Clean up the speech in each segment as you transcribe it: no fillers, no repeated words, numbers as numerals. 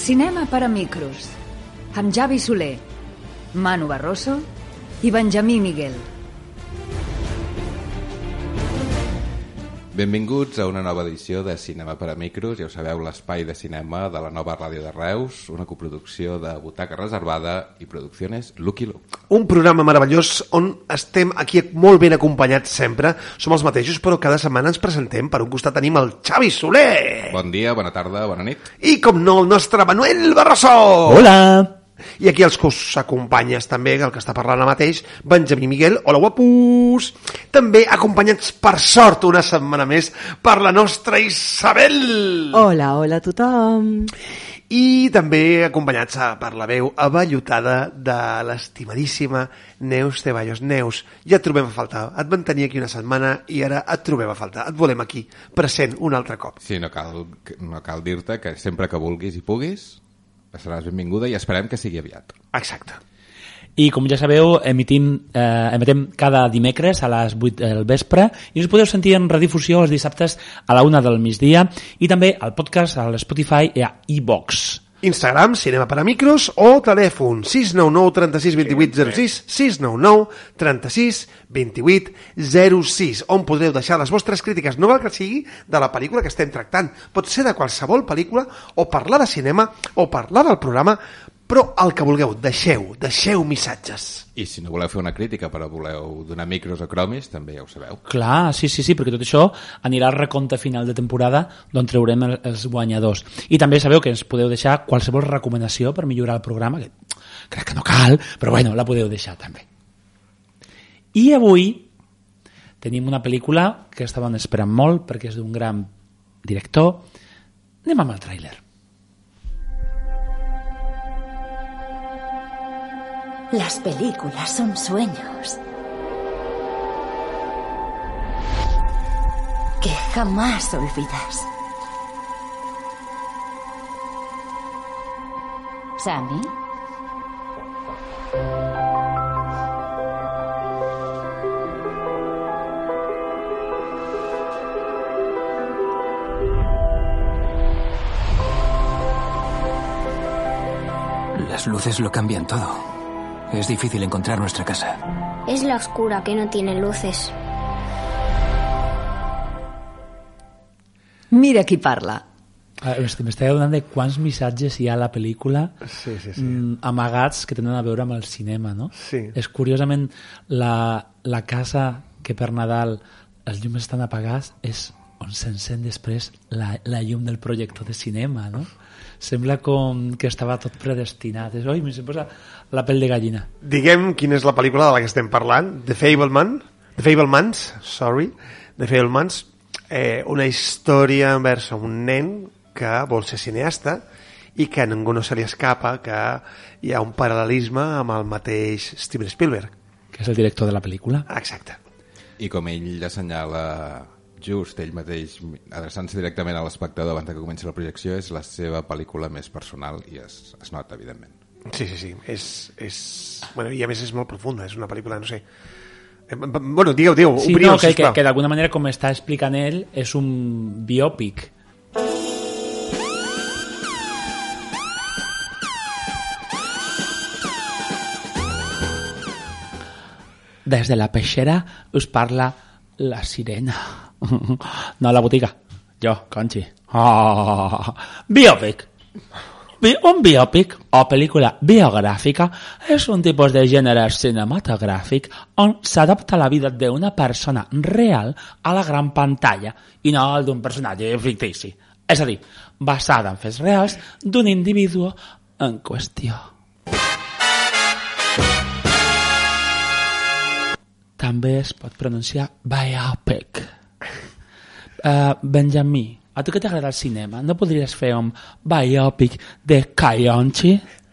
Cinema per a micros, amb Javi Soler, Manu Barroso i Benjamí Miguel. Benvinguts a una nova edició de Cinema per a Micros. Ja ho sabeu, l'espai de cinema de la nova ràdio de Reus, una coproducció de Butaca Reservada i Producciones Lucky Luke. Un programa meravellós on estem aquí molt ben acompanyats sempre. Som els mateixos, però cada setmana ens presentem. Per un costat tenim el Xavi Soler. Bon dia, bona tarda, bona nit. I, com no, el nostre Manuel Barroso. Hola. I aquí els que us acompanyes també, el que està parlant ara mateix, Benjamí Miguel. Hola, guapos! També acompanyats, per sort, una setmana més, per la nostra Isabel! Hola, hola a tothom! I també acompanyats per la veu avellotada de l'estimadíssima Neus Ceballos. Neus, ja et trobem a faltar. Et vam tenir aquí una setmana i ara et trobem a faltar. Et volem aquí, present, un altre cop. Sí, no cal dir-te que sempre que vulguis i puguis seràs benvinguda i esperem que sigui aviat. Exacte. I com ja sabeu, emetem cada dimecres a les 8 del vespre i us podeu sentir en redifusió els dissabtes a la 1 del migdia i també al podcast, a l'Spotify i a iVox. Instagram, Cinema per a Micros, o telèfon 699 36 28 06, 699 36 28 06, on podreu deixar les vostres crítiques, no val que sigui de la pel·lícula que estem tractant, pot ser de qualsevol pel·lícula, o parlar de cinema, o parlar del programa, però el que vulgueu, deixeu missatges. I si no voleu fer una crítica però voleu donar micros o cromis, també ja ho sabeu. Clar, sí, perquè tot això anirà al recompte final de temporada d'on treurem els guanyadors. I també sabeu que ens podeu deixar qualsevol recomanació per millorar el programa, que crec que no cal, però bueno, la podeu deixar també. I avui tenim una pel·lícula que estaven esperant molt perquè és d'un gran director. Anem amb el tràiler. Las películas son sueños que jamás olvidas. ¿Sammy? Las luces lo cambian todo. Es difícil encontrar nuestra casa. Es la oscura, que no tiene luces. Mira qui parla. M'estava donant de quants missatges hi ha a la pel·lícula sí. amagats que tenen a veure amb el cinema, no? Sí. És curiosament la casa que per Nadal els llums estan apagats és on s'encén després la llum del projector de cinema, no? Sembla com que estava tot predestinat. Oi, se'm posa la pell de gallina. Diguem quina és la pel·lícula de la que estem parlant. The Fabelmans, una història envers un nen que vol ser cineasta i que a ningú no se li escapa que hi ha un paral·lelisme amb el mateix Steven Spielberg. Que és el director de la pel·lícula. Exacte. I com ell assenyala just ell mateix, adreçant-se directament a l'espectador abans que comenci la projecció, és la seva pel·lícula més personal i es nota, evidentment. Sí. Bueno, i a més és molt profunda, és una pel·lícula, no sé. Bueno, digueu, sí, opinió, no, que d'alguna manera, com està explicant ell, és un biòpic. Des de la peixera us parla la sirena. No, la botiga. Jo, Conchi. Biòpic. Un biòpic o pel·lícula biogràfica és un tipus de gènere cinematogràfic on s'adapta la vida d'una persona real a la gran pantalla i no el d'un personatge fictici. És a dir, basada en fets reals d'un individu en qüestió. També es pot pronunciar biopic. Benjamí, a tu que t'agrada el cinema, no podries fer un biopic de Cayonchi?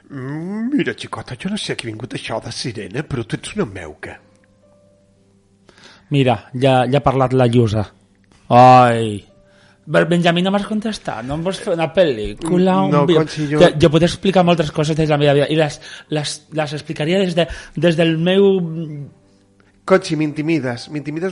Mira, xicota, jo no sé a qui ha vingut això de sirena, però tu ets una meuca. Mira, ja ha parlat la Llusa. Ai, Benjamí, no m'has contestat, no em vols fer una pel·lícula? Conchi, jo puc explicar moltes coses des de la meva vida i les explicaria des del meu Conchi, m'intimides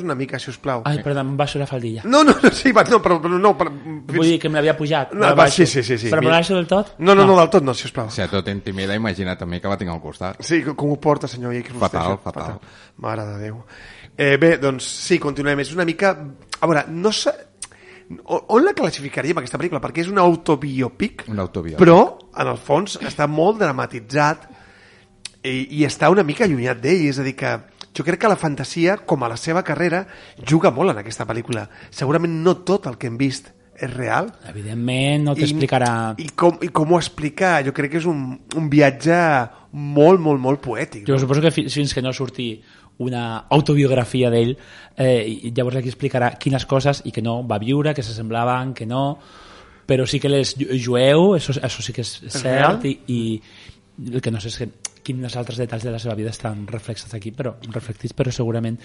una mica, si us plau. Ai, perdó, em baixo la faldilla. No, sí, però no. Vull dir que me l'havia pujat. No, sí. Però me l'baixo del tot? No, del tot no, si us plau. Si a tot intimida, imagina també que la tinc al costat. Sí, com ho porta, senyor? Fatal. Mare de Déu. Bé, doncs sí, continuem. És una mica... A veure, no sé... On la classificaríem, aquesta pel·lícula? Perquè és un autobiòpic, però, en el fons, està molt dramatitzat i està una mica allunyat d'ell. És a dir, que jo crec que la fantasia, com a la seva carrera, juga molt en aquesta pel·lícula. Segurament no tot el que hem vist és real. Evidentment, no t'explicarà... I com ho explica, jo crec que és un viatge molt poètic. Jo suposo que fins que no surti una autobiografia d'ell, llavors aquí explicarà quines coses i que no va viure, que s'assemblaven, que no, però sí que l'és jueu, això sí que és cert, i el que no sé és que quins altres detalls de la seva vida estan reflexats aquí, però segurament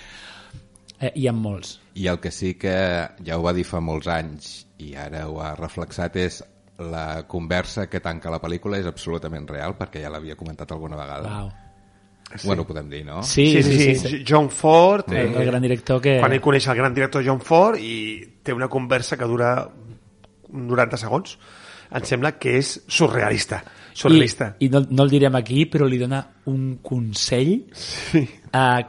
hi ha molts. I el que sí que ja ho va dir fa molts anys i ara ho ha reflexat és la conversa que tanca la pel·lícula és absolutament real, perquè ja l'havia comentat alguna vegada. Wow. Sí. Bueno, ho podem dir, no? Sí. John Ford, el gran director que... quan ell coneix el gran director John Ford i té una conversa que dura 90 segons, em sembla que és surrealista. I no el direm aquí, però li dona un consell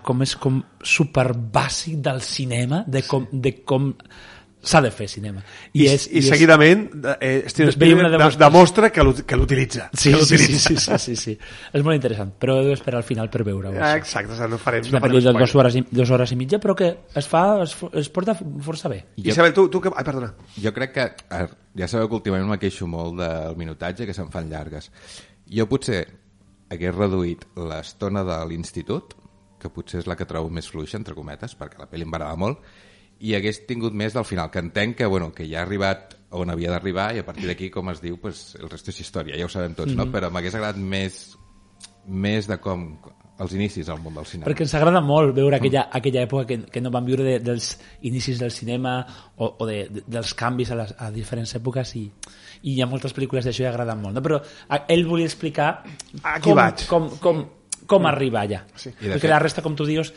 com super bàsic del cinema, de com s'ha de fer cinema. I seguidament Steven Spielberg demostra que l'utilitza. Sí. És molt interessant, però heu d'esperar al final per veure-ho. Exacte, no farem. És una pel·lícula de 2 hores i mitja, però que es porta força bé. Isabel, tu que... Ai, perdona. Jo crec que, ja sabeu que últimament me queixo molt del minutatge, que se'n fan llargues. Jo potser hagués reduït l'estona de l'institut, que potser és la que trobo més fluixa, entre cometes, perquè la pel·li em va agradar molt, i hagués tingut més del final, que entenc que ja ha arribat on havia d'arribar i a partir d'aquí, com es diu, pues, el resto és història, ja ho sabem tots, no? Però m'hagués agradat més de com els inicis al món del cinema. Perquè ens agrada molt veure aquella època que no vam viure dels inicis del cinema o dels canvis a diferents èpoques i hi ha moltes pel·lícules d'això i agraden molt, no? Però ell volia explicar com arribar allà. Sí. Perquè la resta, com tu dius,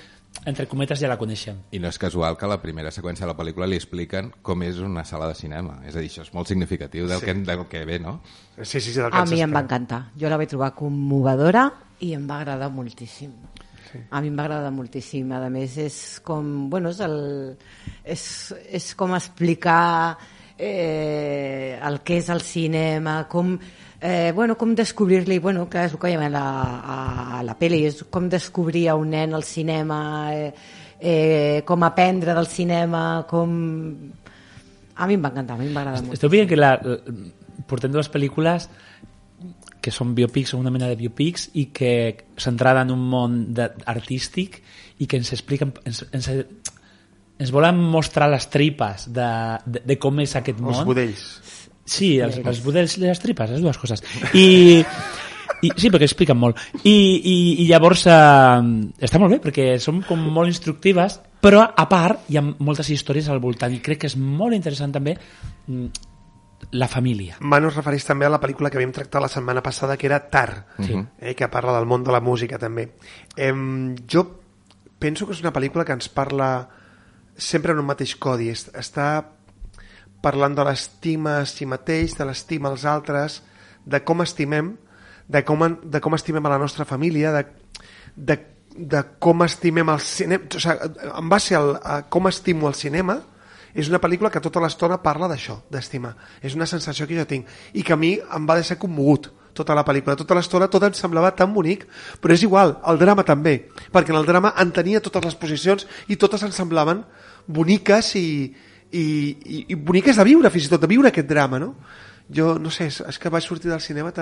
entre cometes ja la coneixem. I no és casual que a la primera seqüència de la pel·lícula li expliquen com és una sala de cinema. És a dir, això és molt significatiu del que ve, no? Sí, a mi em va encantar. Jo la vaig trobar commovedora i em va agradar moltíssim. Sí. A mi em va agradar moltíssim. A més, és com... Bueno, és com explicar el que és el cinema, com descobrir-li, clar, és el que veiem a la pel·li, és com descobrir a un nen el cinema, com aprendre del cinema, com... A mi em va encantar, a mi em va agradar molt. Esteu veient que portem 2 pel·lícules que són biopics, són una mena de biopics i que s'entrada en un món artístic i que ens expliquen... Ens volen mostrar les tripes de com és aquest món. Els budells. Sí, els budells i les tripes, les dues coses. I sí, perquè expliquen molt. I llavors està molt bé, perquè són com molt instructives, però a part hi ha moltes històries al voltant i crec que és molt interessant també la família. Manu es refereix també a la pel·lícula que vam tractar la setmana passada, que era Tar, que parla del món de la música també. Jo penso que és una pel·lícula que ens parla sempre en un mateix codi, està parlant de l'estima a si mateix, de l'estima als altres, de com estimem, de com estimem a la nostra família, de com estimem el cinema. O sigui, en base a com estimo el cinema, és una pel·lícula que tota l'estona parla d'això, d'estimar. És una sensació que jo tinc i que a mi em va deixar commogut tota la pel·lícula. Tota l'estona tot em semblava tan bonic, però és igual, el drama també, perquè en el drama entenia totes les posicions i totes em semblaven boniques i boniques de viure, fins i tot de viure aquest drama, no? Jo, no sé, és que vaig sortir del cinema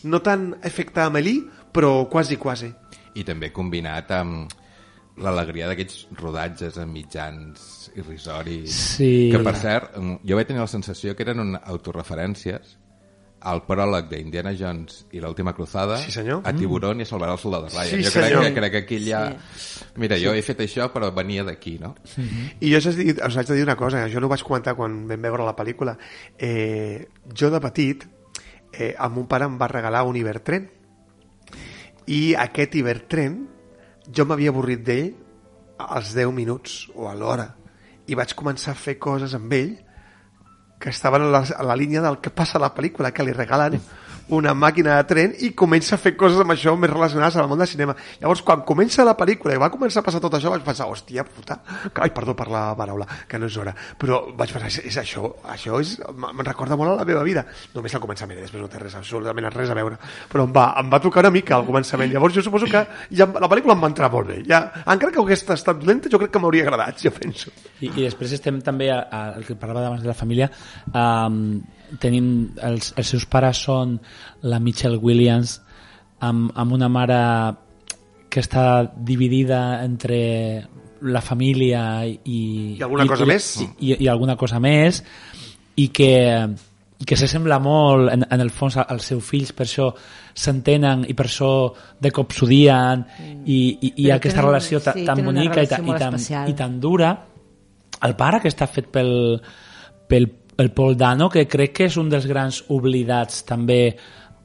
no tan efecte Amélie, però quasi. I també combinat amb l'alegria d'aquests rodatges en mitjans irrisoris, sí. Que per cert, jo vaig tenir la sensació que eren autorreferències al pròleg d'Indiana Jones i l'última cruzada, sí, a Tiburón i a Salvar el soldado Ryan. Sí, jo crec que aquí ja... Sí. Mira, jo he fet això, però venia d'aquí, no? I jo us haig de dir una cosa, jo no ho vaig comentar quan vam veure la pel·lícula. Jo de petit, el meu pare em va regalar un Ibertren, i aquest Ibertren jo m'havia avorrit d'ell als 10 minuts o a l'hora i vaig començar a fer coses amb ell que estaven a la línia del que passa a la pel·lícula, que li regalen una màquina de tren i comença a fer coses amb això més relacionades amb el món del cinema. Llavors, quan comença la pel·lícula i va començar a passar tot això, vaig pensar, hòstia puta, ai, perdó per la paraula, que no és hora, però vaig pensar, és això me'n recorda molt a la meva vida. Només al començament, després no té absolutament res a veure, però em va tocar una mica al començament. Llavors jo suposo que ja la pel·lícula em va entrar molt bé. Ja, encara que hagués estat lenta, jo crec que m'hauria agradat, jo penso. I després estem també, el que parlava abans de la família, tenim els seus pares són la Michelle Williams amb una mare que està dividida entre la família i alguna cosa més i alguna cosa més i que s'assembla molt en el fons als seus fills, per això s'entenen i per això de cop s'odien i aquesta relació tan bonica i tan dura. El pare, que està fet pel Paul Dano, que crec que és un dels grans oblidats també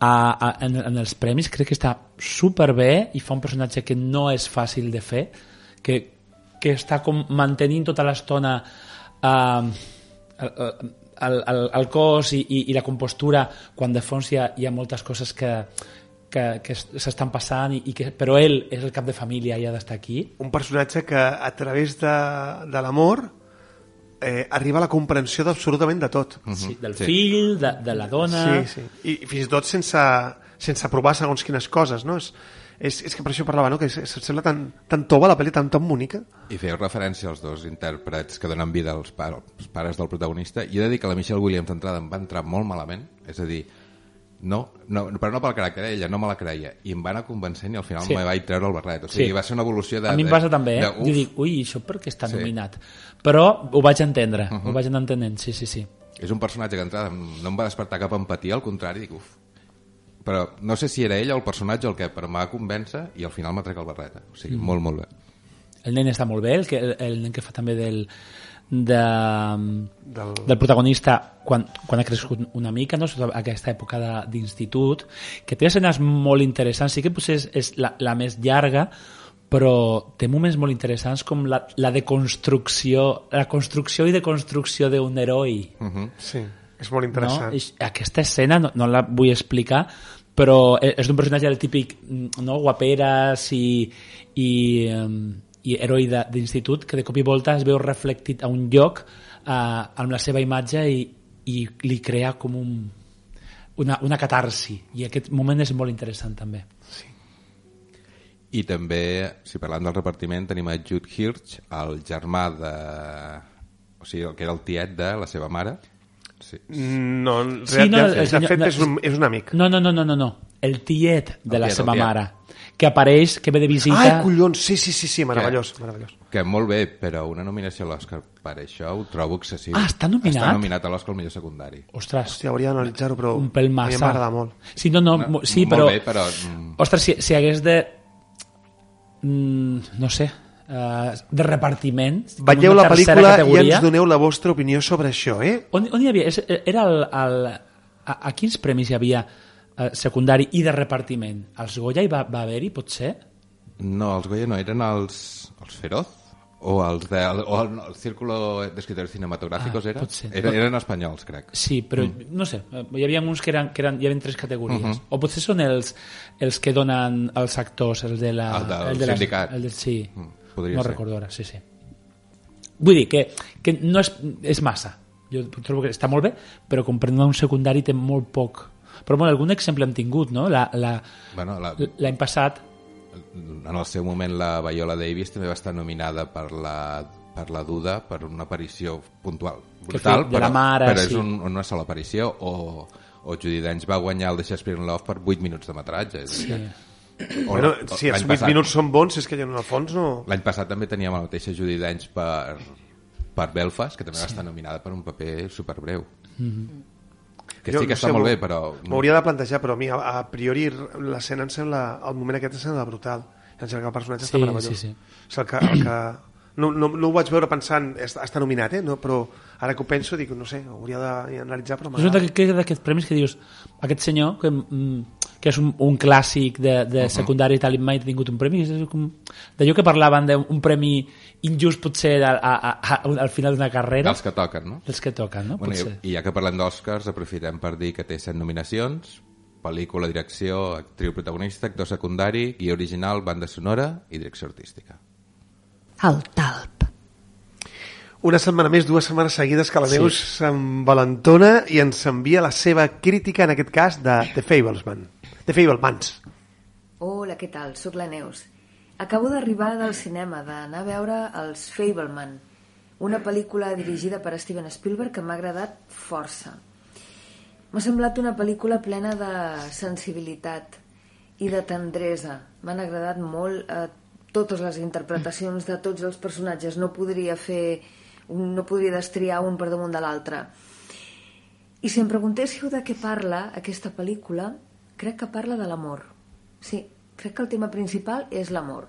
en els premis, crec que està superbé i fa un personatge que no és fàcil de fer, que està com mantenint tota l'estona el cos i la compostura quan de fons hi ha moltes coses que s'estan passant però ell és el cap de família i ha d'estar aquí. Un personatge que a través de l'amor arriba a la comprensió d'absolutament de tot. Sí, del fill, de la dona... Sí. I fins i tot sense provar segons quines coses, no? És que per això parlava, no? Que sembla tan tova la pel·li, tan bonica. I feu referència als dos intèrprets que donen vida als pares del protagonista, i he de dir que la Michelle Williams d'entrada em va entrar molt malament, és a dir, però no pel caràcter, ella no me la creia, i em va anar convencent i al final me vaig treure el barret, o sigui, va ser una evolució de... A mi em passa també, jo dic, ui, això per què està nominat? Però ho vaig entendre, ho vaig anar entenent, sí. És un personatge que d'entrada no em va despertar cap empatia, al contrari, dic, però no sé si era ella o el personatge o el què, però em va convèncer i al final m'ha trec el barret, o sigui, molt, molt bé. El nen està molt bé, el nen que fa també del protagonista quan ha crescut una mica, no? Sota aquesta època d'institut, que té escenes molt interessants, sí que potser és la més llarga, però té moments molt interessants com la deconstrucció, la construcció i deconstrucció d'un heroi. Sí, és molt interessant. No? Aquesta escena no la vull explicar, però és d'un personatge del típic, no? Guaperes i heroi d'institut, que de cop i volta es veu reflectit a un lloc amb la seva imatge i li crea com una catarsi, i aquest moment és molt interessant també. Sí. I també, si parlant del repartiment, tenim a Jude Hirsch, el germà o sigui, el que era el tiet de la seva mare. Sí. No, de fet és un amic. No, el tiet de la seva mare, que apareix, que ve de visita... Ai, collons, sí, meravellós. Que molt bé, però una nominació a l'Oscar per això ho trobo excessiu. Està nominat? Està nominat a l'Oscar al millor secundari. Ostres. Hòstia, hauria d'analitzar-ho, però un pèl massa. A mi m'agrada molt. Sí, sí, però... Molt bé, però... Ostres, si hagués de... no sé... de repartiment. Veieu la pel·lícula i ens doneu la vostra opinió sobre això, On hi havia? Era a quins premis hi havia secundari i de repartiment? Els Goya hi va haver-hi, potser? No, els Goya no, eren els Feroz o el Círculo d'Escritores Cinematográficos eren espanyols, crec. Sí, però no sé, hi havia uns que hi havia 3 categories. O potser són els que donen els actors, els de la... El del sindicat. Sí. Podria no ser. Recordo ara, sí. Vull dir que no és massa. Jo trobo que està molt bé, però com per un secundari té molt poc. Però bueno, algun exemple hem tingut, no? L'any passat... En el seu moment la Viola Davis també va estar nominada per la Duda per una aparició puntual. Brutal, de la mare, però és una sola aparició. O Judi Dench va guanyar el The Shakespeare in Love per 8 minuts de metratge. Sí. Bueno, si els 8 minuts són bons, és que en el fons no... L'any passat també teníem la mateixa Judi Dench per Belfast, que també va estar nominada per un paper superbreu. Que sí que està molt bé, però... M'hauria de plantejar, però a mi a priori l'escena em sembla, el moment aquest em sembla brutal. Em sembla que el personatge està meravellós. Sí. El que no ho vaig veure pensant està nominat, no, però ara que ho penso dic, no sé, hauria d'analitzar, però és un d'aquests premis que dius, aquest senyor que que és un clàssic de secundari i tal, i mai ha tingut un premi. És d'allò que parlaven d'un premi injust potser al final d'una carrera. Dels que toquen, no? Dels que toquen, no? Bueno, i ja que parlem d'Oscars, aprofitem per dir que té 7 nominacions: pel·lícula, direcció, actriu protagonista, actor secundari, guió original, banda sonora i direcció artística. El talp. Una setmana més, 2 setmanes seguides que la Neus s'envalentona i ens envia la seva crítica, en aquest cas, de The Fabelmans. Hola, què tal? Soc la Neus. Acabo d'arribar del cinema, d'anar a veure Els Fabelman, una pel·lícula dirigida per Steven Spielberg que m'ha agradat força. M'ha semblat una pel·lícula plena de sensibilitat i de tendresa. M'han agradat molt totes les interpretacions de tots els personatges. No podria destriar un per damunt de l'altre. I si em preguntéssiu de què parla aquesta pel·lícula, crec que parla de l'amor. Sí, crec que el tema principal és l'amor.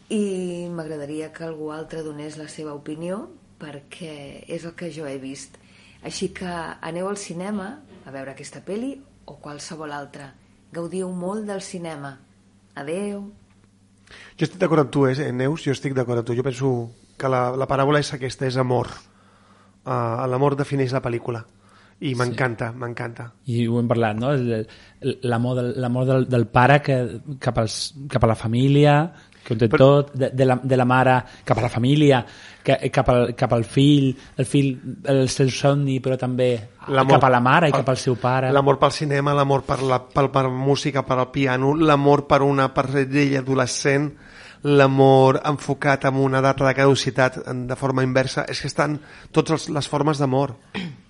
I m'agradaria que algú altre donés la seva opinió, perquè és el que jo he vist. Així que aneu al cinema a veure aquesta pel·li o qualsevol altra. Gaudiu molt del cinema. Adeu. Jo estic d'acord amb tu, Neus, jo estic d'acord amb tu. Jo penso que la paràbola és aquesta, és amor. L'amor defineix la pel·lícula. I m'encanta, m'encanta. I ho hem parlat, no? L'amor del pare cap a la família, que ho té tot, de la mare cap a la família, cap al fill, el seu somni, però també cap a la mare i cap al seu pare. L'amor pel cinema, l'amor per la música, per al piano, l'amor per una parella adolescent, l'amor enfocat en una data de caducitat de forma inversa. És que estan totes les formes d'amor.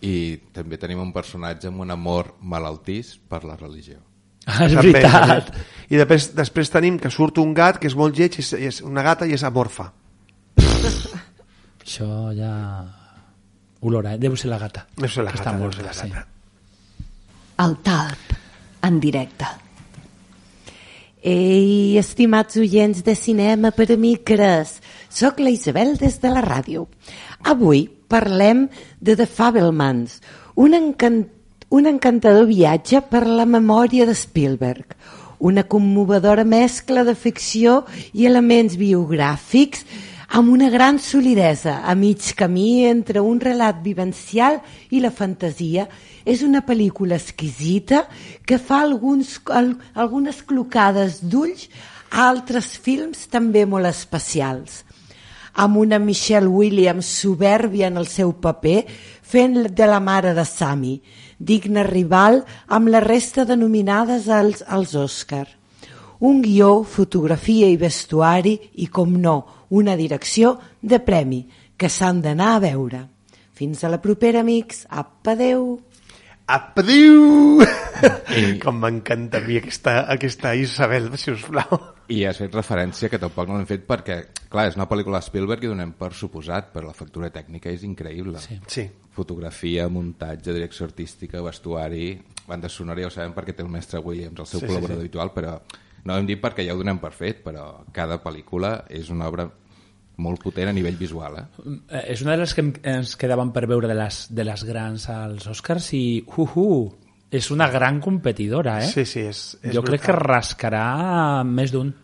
I també tenim un personatge amb un amor malaltís per la religió. És veritat. I després tenim que surt un gat que és molt lleig, és una gata i és amorfa. Això ja olora, deu ser la gata. Deu ser la gata, sí. El talp, en directe. Ei, estimats oients de Cinema per Amigues, soc la Isabel des de la ràdio. Avui parlem de The Fabelmans, un encantador viatge per la memòria de Spielberg, una commovedora mescla de ficció i elements biogràfics amb una gran solidesa a mig camí entre un relat vivencial i la fantasia. És una pel·lícula exquisita que fa algunes clocades d'ulls a altres films també molt especials. Amb una Michelle Williams soberbia en el seu paper, fent de la mare de Sammy, digna rival amb la resta de nominades als Òscar. Un guió, fotografia i vestuari i, com no, una direcció de premi que s'han d'anar a veure. Fins a la propera, amics. Apa, adeu! Apa, adeu! Com m'encanta a mi aquesta Isabel, si us plau. I has fet referència que tampoc no l'hem fet perquè, clar, és una pel·lícula de Spielberg i donem per suposat, però la factura tècnica és increïble. Sí. Fotografia, muntatge, direcció artística, vestuari, banda sonora, ja ho sabem perquè té el mestre Williams, el seu col·laborador habitual, però no ho hem dit perquè ja ho donem per fet, però cada pel·lícula és una obra molt potent a nivell visual. És una de les que ens quedaven per veure de les grans als Oscars i és una gran competidora, Sí, és jo crec que rascarà més d'un.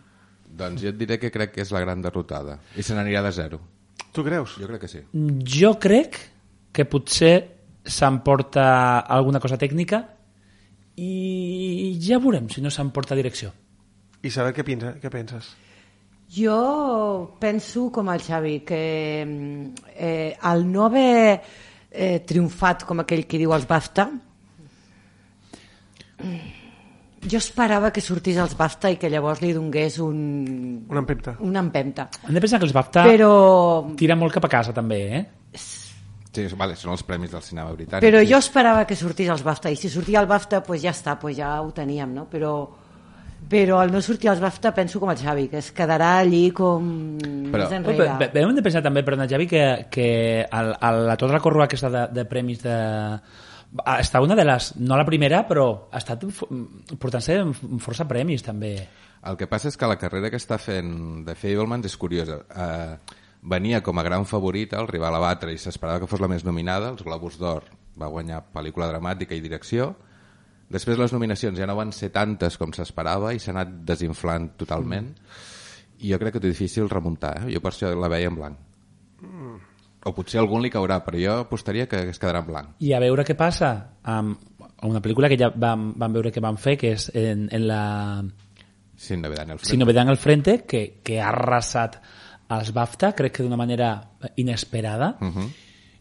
Doncs jo et diré que crec que és la gran derrotada i se n'anirà de 0. Tu creus? Jo crec que sí. Jo crec que potser s'emporta alguna cosa tècnica i ja veurem si no s'emporta direcció. I saber què penses? Jo penso com el Xavi, que al no haver triomfat com aquell que diu els BAFTA, jo esperava que sortís als BAFTA i que llavors li donés una empenta. Hem de pensar que els BAFTA tira molt cap a casa també, Sí, vale, són els premis del cinema britànic. Però jo esperava que sortís als BAFTA, i si sortia al BAFTA pues ja està, pues ja ho teníem, no? Però al no sortir als BAFTA penso com el Xavi, que es quedarà allí com més enrere. Hem de pensar també, perdona Xavi, que a tota la corrua aquesta de premis està una de les, no la primera, però ha estat portant-se força premis també. El que passa és que la carrera que està fent de Fabelmans és curiosa. Venia com a gran favorita, el rival a batre, i s'esperava que fos la més nominada. Els Globus d'Or va guanyar pel·lícula dramàtica i direcció. Després les nominacions ja no van ser tantes com s'esperava i s'ha anat desinflant totalment i jo crec que és difícil remuntar, Jo per això la veia en blanc. O potser algun li caurà, però jo apostaria que es quedarà en blanc. I a veure què passa amb una pel·lícula que ja vam veure que van fer, que és en la Sin novedad en el frente. Sin novedad en el frente, que ha arrasat als BAFTA, crec que d'una manera inesperada,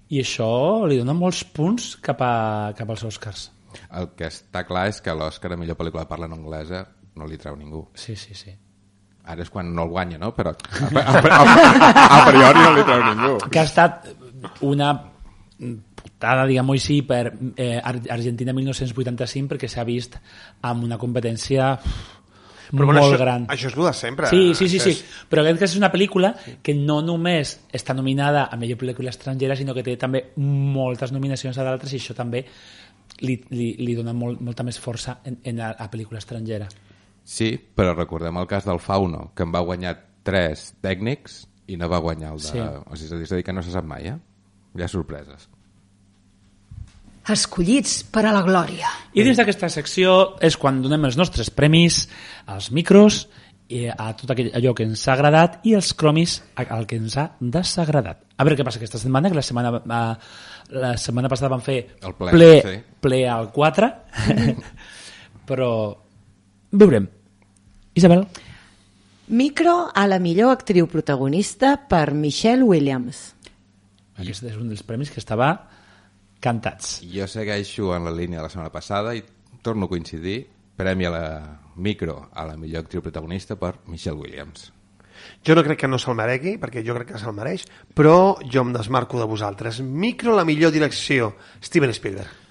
i això li dona molts punts cap als Oscars. El que està clar és que l'Oscar a millor pel·lícula de parla en anglesa no li treu ningú. Sí. Ara és quan no el guanya, no? Però a priori no li treu ningú. Que ha estat una putada, diguem-ho així, per Argentina 1985, perquè s'ha vist amb una competència molt gran. Això és el de sempre. Sí. Però crec que és una pel·lícula que no només està nominada a millor pel·lícula estrangera, sinó que té també moltes nominacions a d'altres, i això també li dona molta més força a pel·lícula estrangera. Sí, però recordem el cas del Fauno, que en va guanyar 3 tècnics i no va guanyar el de... Sí. O sigui, és a dir, que no se sap mai, Hi ha sorpreses. Escollits per a la glòria. I dins d'aquesta secció és quan donem els nostres premis, els micros, a tot allò que ens ha agradat i els cromis al que ens ha desagradat. A veure què passa aquesta setmana, que la setmana passada vam fer el ple al 4, però veurem. Isabel? Micro a la millor actriu protagonista per Michelle Williams. Aquest és un dels premis que estava cantats. Jo segueixo en la línia de la setmana passada i torno a coincidir. Premi a la micro a la millor actriu protagonista per Michelle Williams. Jo no crec que no se'l meregui, perquè jo crec que se'l mereix, però jo em desmarco de vosaltres. Micro a la millor direcció, Steven Spielberg.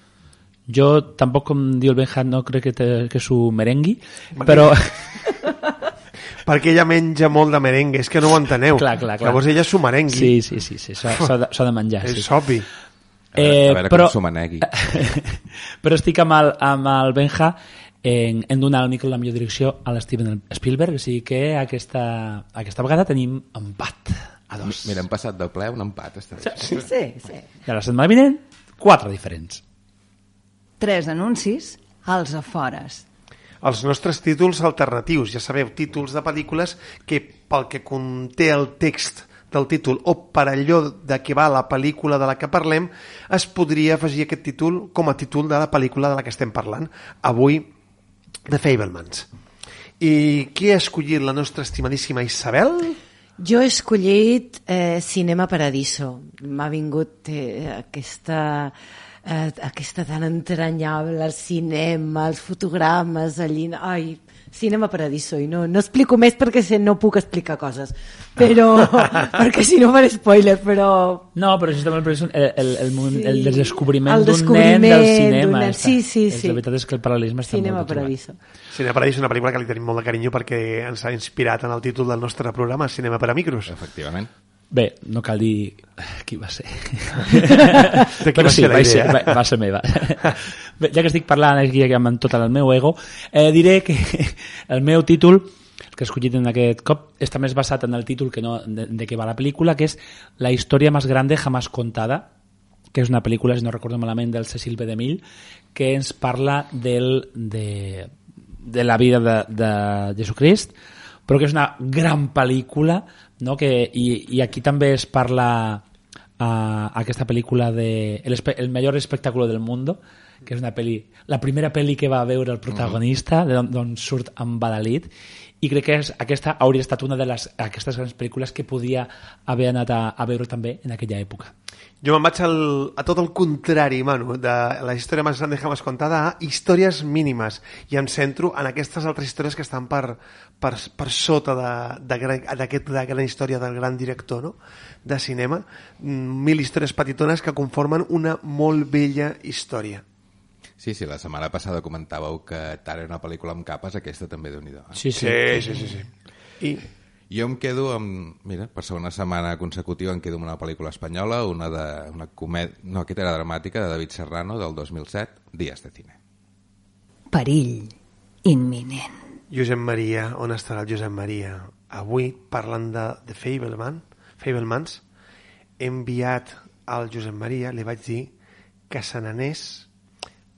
Jo tampoc, com diu el Benja, no crec que s'ho merengui, però... Perquè ella menja molt de merengue, és que no ho enteneu. Clar. Llavors ella s'ho merengui. Sí, s'ha de menjar. És obvi. A veure com s'ho manegui. Però estic amb el Benja en donar el micro la millor direcció a l'Steven Spielberg, o sigui que aquesta vegada tenim empat a 2. Mira, hem passat del ple a un empat. Sí. I a la setmana vinent, 4 diferents. 3 anuncis als afores. Els nostres títols alternatius, ja sabeu, títols de pel·lícules que pel que conté el text del títol o per allò de què va la pel·lícula de la que parlem, es podria afegir aquest títol com a títol de la pel·lícula de la que estem parlant. Avui, The Fabelmans. I qui ha escollit la nostra estimadíssima Isabel? Jo he escollit Cinema Paradiso. M'ha vingut aquesta tan entranyable, el cinema, els fotogrames, allí... Ai, Cinema Paradiso. I no explico més perquè no puc explicar coses. Però... perquè si no faré spoiler, però... No, però justament el descobriment d'un nen del cinema. Sí. La veritat és que el paral·lelisme està Cinema molt Paradiso. Cinema Paradiso és una pel·lícula que li tenim molt de carinyo perquè ens ha inspirat en el títol del nostre programa, Cinema per a Micros. Efectivament. Bé, no cal dir qui va ser. De qui però va ser la idea? Va ser meva. Bé, ja que estic parlant aquí amb tot el meu ego, diré que el meu títol, el que he escollit en aquest cop, està més basat en el títol que no de què va la pel·lícula, que és La història més grande jamás contada, que és una pel·lícula, si no recordo malament, del Cecil B. DeMille, que ens parla de la vida de Jesucrist, però que és una gran pel·lícula, no? I aquí també es parla aquesta pel·lícula de El millor espectáculo del mundo, que és la primera pel·li que va veure el protagonista, d'on surt embadalit, i crec que aquesta hauria estat una d'aquestes grans pel·lícules que podia haver anat a veure també en aquella època. Jo me'n vaig a tot el contrari, Manu, de la història més gran jamás contada a històries mínimes, i em centro en aquestes altres històries que estan per sota d'aquesta gran història del gran director, no?, de cinema. 1000 històries petitones que conformen una molt bella història. Sí, la setmana passada comentàveu que tant era una pel·lícula amb capes, aquesta també Déu-n'hi-do. Sí. I jo em quedo amb... Mira, per segona setmana consecutiva em quedo amb una pel·lícula espanyola, una comèdia... No, aquesta era dramàtica, de David Serrano, del 2007, Días de cine. Perill imminent. Josep Maria, on estarà el Josep Maria? Avui, parlant de The Fabelmans, he enviat al Josep Maria, li vaig dir que se n'anés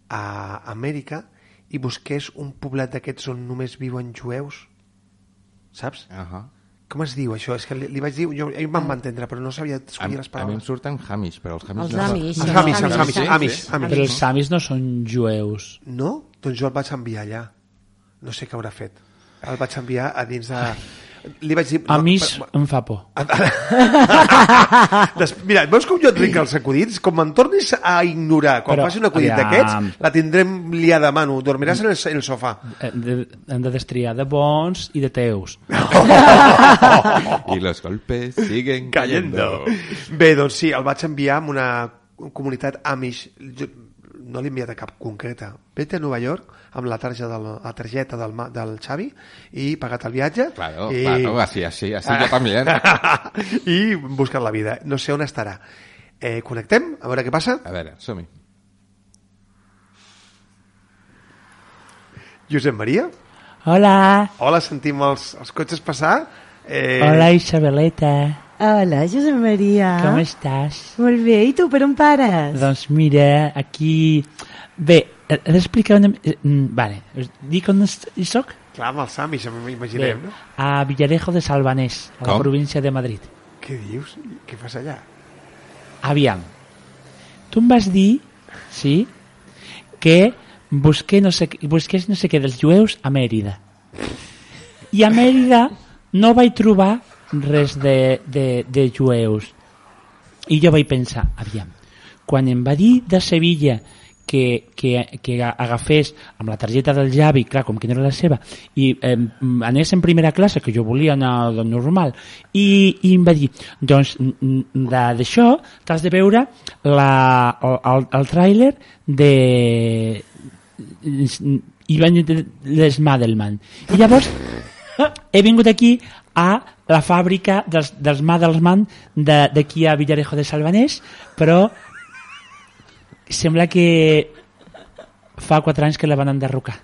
a Amèrica i busqués un poblet d'aquests on només viuen jueus, saps? Com es diu això? És que li vaig dir, ell me'n va entendre, però no sabia escollir les A mi paraules. em surten Hamish, però els Hamish Els Amish. Amish. Però els Samis no són jueus. No? Doncs jo el vaig enviar allà. No sé què haurà fet. El vaig enviar a dins de... Li vaig dir... Amish em fa por. Mira, veus com jo et ric els acudits? Com me'n tornis a ignorar quan faci un acudit d'aquests, la tindrem liada a mano. Dormiràs en el sofà. Hem de destriar de bons i de teus. I los golpes siguen cayendo. Bé, doncs sí, el vaig enviar a una comunitat Amish. No l'he enviat a cap concreta. Vete a Nova York amb la targeta del Xavi i pagat el viatge. Claro, así yo también. I buscat la vida. No sé on estarà. Connectem, a veure què passa. A veure, som-hi. Josep Maria? Hola. Hola, sentim els cotxes passar. Hola, Isabeleta. Hola, Josep Maria. Com estàs? Molt bé, i tu per on pares? Doncs mira, aquí... Bé, he d'explicar una... Vale, us dic on hi soc? Clar, amb els Amish, m'imaginem, no? A Villarejo de Salvanés, a la província de Madrid. Què dius? Què fas allà? Aviam, tu em vas dir, sí, que busqués no sé què dels jueus a Mèrida. I a Mèrida no vaig trobar res de jueus. I jo vaig pensar, aviam, quan em va dir de Sevilla que agafés amb la targeta del Javi, clar, com que no era la seva, i anés en primera classe, que jo volia anar normal, i em va dir, doncs d'això t'has de veure el tràiler de les Madelman. I llavors he vingut aquí a la fàbrica dels Madelman d'aquí a Villarejo de Salvanés, però sembla que fa 4 anys que la van enderrocar.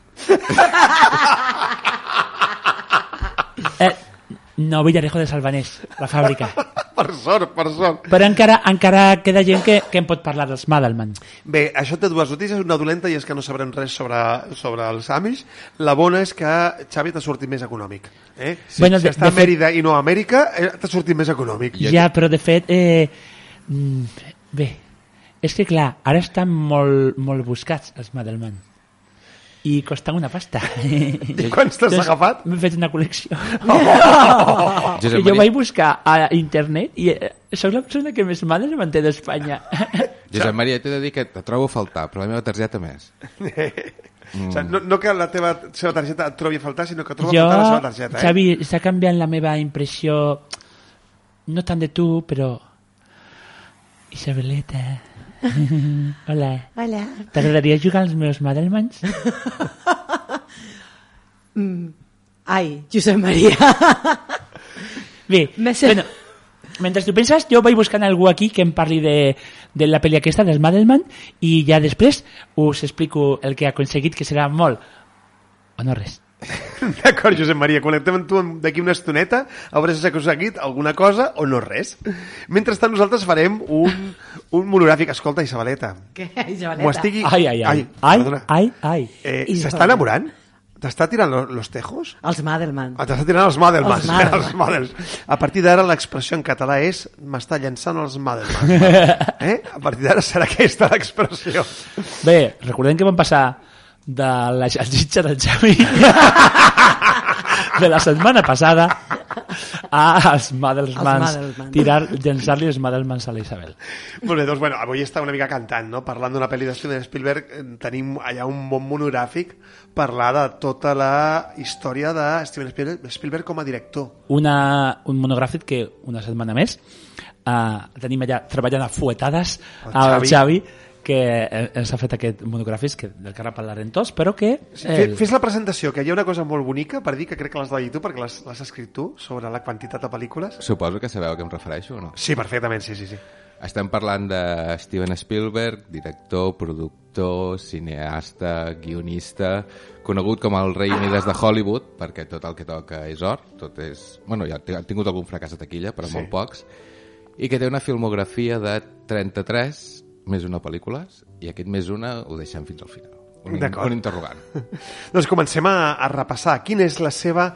No, Villarejo de Salvanés, la fàbrica. Per sort. Però encara queda gent que em pot parlar dels Madelman. Bé, això té dues notícies, una dolenta i és que no sabrem res sobre els Amish. La bona és que Xavi t'ha sortit més econòmic. Si està a Mèrida i no a Amèrica, t'ha sortit més econòmic. Ja, però de fet... Bé, és que clar, ara estan molt buscats els Madelman. I costen una pasta. I quants t'has agafat? M'he fet una col·lecció. Josep Jo vaig buscar a internet i sóc la persona que més Madelman té d'Espanya. Josep Maria, t'he de dir que te trobo a faltar, però la meva targeta més. O sigui, no que la seva targeta et trobi a faltar, sinó que troba a faltar la seva targeta. Xavi, està canviant la meva impressió, no tant de tu, però... Isabeleta... Hola. T'agradaria jugar als meus Madelmans? Ai, Josep Maria. Bé, bueno, mentre tu penses, jo vaig buscant algú aquí que em parli de la pel·li aquesta dels Madelman i ja després us explico el que he aconseguit, que serà molt o no res. D'acord, Josep Maria, connectem amb tu d'aquí una estoneta, a veure si s'ha aconseguit alguna cosa o no res. Mentrestant nosaltres farem un monogràfic. Escolta, Isabeleta. Què, Isabeleta? M'ho estigui... Ai. S'està enamorant? T'està tirant los tejos? Els Madelman. T'està tirant els Madelman. A partir d'ara l'expressió en català és m'està llançant els Madelman. A partir d'ara serà aquesta l'expressió. Bé, recordem que vam passar de la salsitxa del Xavi de la setmana passada als Madelmans, llançar-li els Madelmans a la Isabel. Molt bé, doncs avui està una mica cantant, no? Parlant d'una pel·li de Steven Spielberg, tenim allà un bon monogràfic parlar de tota la història de Steven Spielberg com a director. Un monogràfic que una setmana més tenim allà treballant a fuetades al Xavi, que ens ha fet aquest monogràfic del que ara parlarem tots, però que... Fes la presentació, que hi ha una cosa molt bonica per dir, que crec que l'has de dir tu, perquè l'has escrit tu, sobre la quantitat de pel·lícules. Suposo que sabeu a què em refereixo o no? Sí, perfectament, sí. Estem parlant de Steven Spielberg, director, productor, cineasta, guionista, conegut com el rei Mides de Hollywood, perquè tot el que toca és or, tot és... Bueno, ja ha tingut algun fracàs a taquilla, però molt pocs, i que té una filmografia de 33 més una pel·lícules, i aquest més una ho deixem fins al final. D'acord. un interrogant. Doncs comencem a repassar quina és la seva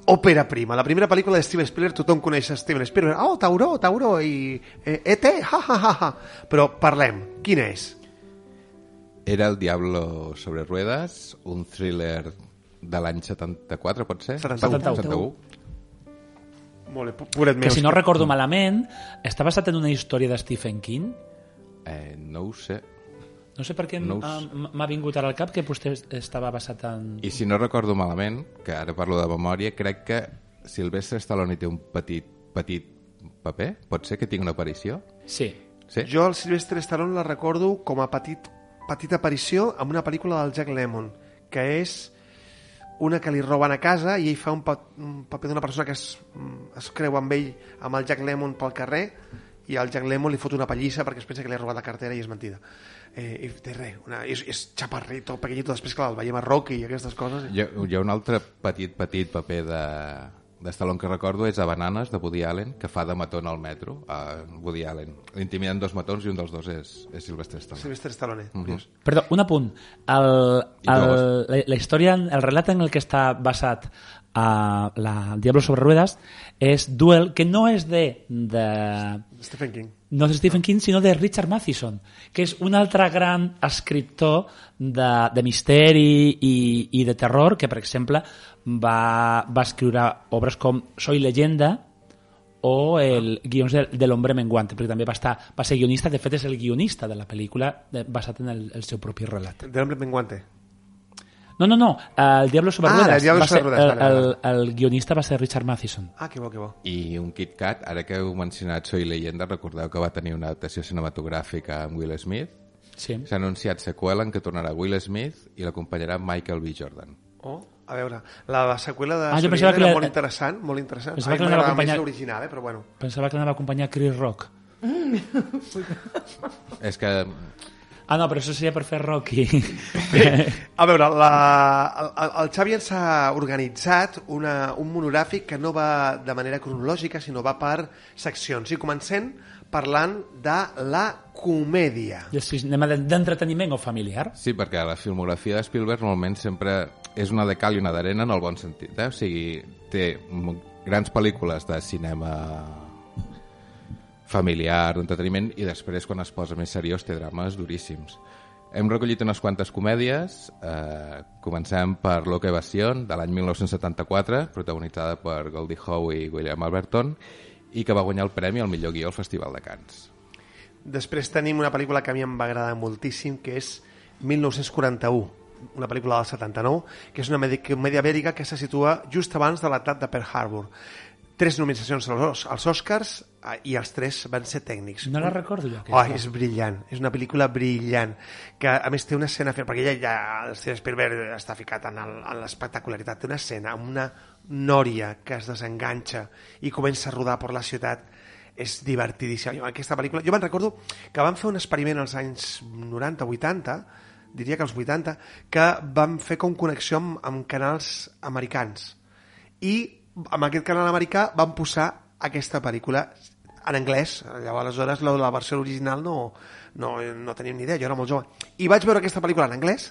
òpera prima. La primera pel·lícula de Steven Spielberg, tothom coneix Steven Spielberg. Oh, Tauró, i E.T., ha. Però parlem, quina és? Era El Diablo sobre ruedas, un thriller de l'any 74, pot ser? 71. Molt bé, pobret meu. Que si no recordo malament, està basat en una història de Stephen King. No ho sé. No sé per què m'ha vingut ara al cap que vostè estava basat en... I si no recordo malament, que ara parlo de memòria, crec que Sylvester Stallone té un petit paper? Pot ser que tingui una aparició? Sí. Jo el Sylvester Stallone la recordo com a petita aparició en una pel·lícula del Jack Lemmon, que és una que li roben a casa i ell fa un paper d'una persona que es creu amb ell, amb el Jack Lemmon pel carrer, i el Jack Lemmon li fot una pallissa perquè es pensa que li ha robat la cartera i és mentida. I té res, és xaparrito, pequeñito, després clar, el veiem a Rocky i aquestes coses. Hi ha un altre petit paper de Stallone que recordo, és a Bananes, de Woody Allen, que fa de matón al metro, a Woody Allen. L'intimiden dos matons i un dels dos és Sylvester Stallone. Sylvester Stallone, curiós. Perdó, un apunt. La història, el relat en el que està basat a El Diablo sobre ruedas és Duel, que no és de Stephen King. No de Stephen King, sinó de Richard Matheson, que és un altre gran escriptor de misteri i de terror, que, per exemple, va escriure obres com Soy leyenda o el guions de l'Hombre Menguante, perquè també va ser guionista, de fet és el guionista de la pel·lícula basat en el seu propi relat. De l'Hombre Menguante? No, el Diablo sobre ruedas. El Diablo sobre ruedas. El guionista va ser Richard Matheson. Que bo. I un Kit Kat, ara que heu mencionat Soy leyenda, recordeu que va tenir una adaptació cinematogràfica amb Will Smith? Sí. S'ha anunciat seqüela en què tornarà Will Smith i l'acompanyarà Michael B. Jordan. A veure, la seqüela de jo Soy pensava leyenda que era molt interessant. Pensava que l'anava a acompanyar l'original, però bueno. Pensava que l'anava a acompanyar Chris Rock. És que... no, però això seria per fer Rocky. A veure, el Xavi ens ha organitzat un monogràfic que no va de manera cronològica, sinó va per seccions. I comencem parlant de la comèdia. Sí, anem d'entreteniment o familiar? Sí, perquè la filmografia de Spielberg normalment sempre és una de cal i una d'arena en el bon sentit. O sigui, té grans pel·lícules de cinema familiar, d'entreteniment, i després, quan es posa més seriós, té drames duríssims. Hem recollit unes quantes comèdies. Comencem per Loca Evasión, de l'any 1974, protagonitzada per Goldie Hawn i William Alberton, i que va guanyar el premi al millor guió al Festival de Cannes. Després tenim una pel·lícula que a mi em va agradar moltíssim, que és 1941, una pel·lícula del 79, que és una comèdia bèl·lica que se situa just abans de l'atac de Pearl Harbor. 3 nominacions als Oscars i els 3 van ser tècnics. No la recordo jo. És brillant, és una pel·lícula brillant, que a més té una escena, perquè ja el Steven Spielberg està ficat en l'espectacularitat, té una escena amb una nòria que es desenganxa i comença a rodar per la ciutat. És divertidíssima. Aquesta pel·lícula, jo me'n recordo que van fer un experiment als anys 90-80, diria que als 80, que van fer com connexió amb canals americans. I amb aquest canal americà van posar aquesta pel·lícula en anglès. Llavors, aleshores, la versió original no teníem ni idea, jo era molt jove. I vaig veure aquesta pel·lícula en anglès